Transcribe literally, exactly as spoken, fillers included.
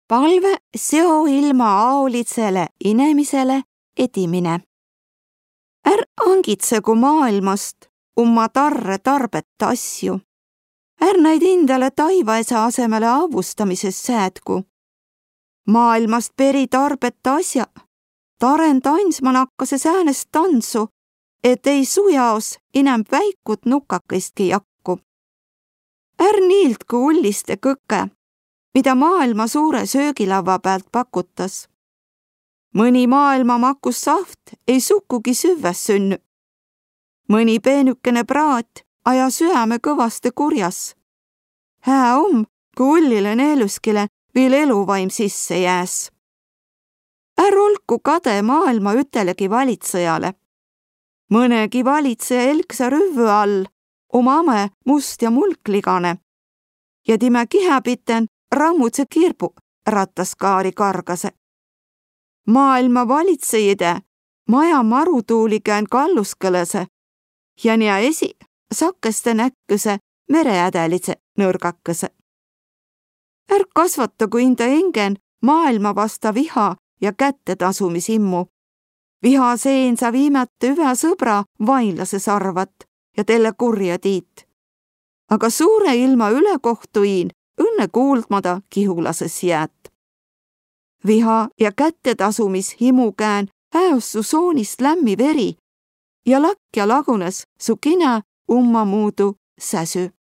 Palve seo ilma aolidsele inemisele edimine. Är angitsegu maailmast umma tarre tarbette asju. Är näid indale taivaesä asemele avvustamises säädgu. Maailmast peri tarbette asja, taren tandsmanakkase säänest tandsu, et ei su jaos inämb väikut nukakaistki jakku. Är niildgu ulliste kõkke, mida maailma suure söögilavva päält pakutas. Mõni maailma makus sahvt ei sukugi süvväs sünnü. Mõni peenükene praat aja süäme kõvaste kurjas. Hää om, ku ullilen elüskile viil eluvaim sisse jääs. Är olku kade maailma ütelegi valitsejale. Mõnegi valitsea elksa rüvvü all om ame must ja mulkligane. Ja timä kihäpiten rammudse kirbu rattaskaari kargase. Maailma valitsejide maja marutuuligään kalluskõlase ja nia esi sakkeste näkküse mereädälidse nõrgakese. Är kasvatagu inda engen maailma vasta viha ja kättetasumisimmu. Viha seen sa viimäte üvä sõbra vainlase sarvat ja telle kurja tiit. Aga suure ilma ülekohtu iin õnne kuuldmada kihulasõs jäät. Viha ja kättetasumishimu kään häös su soonist lämmi veri ja lakja lagunes su kinä ummamuudu säsü.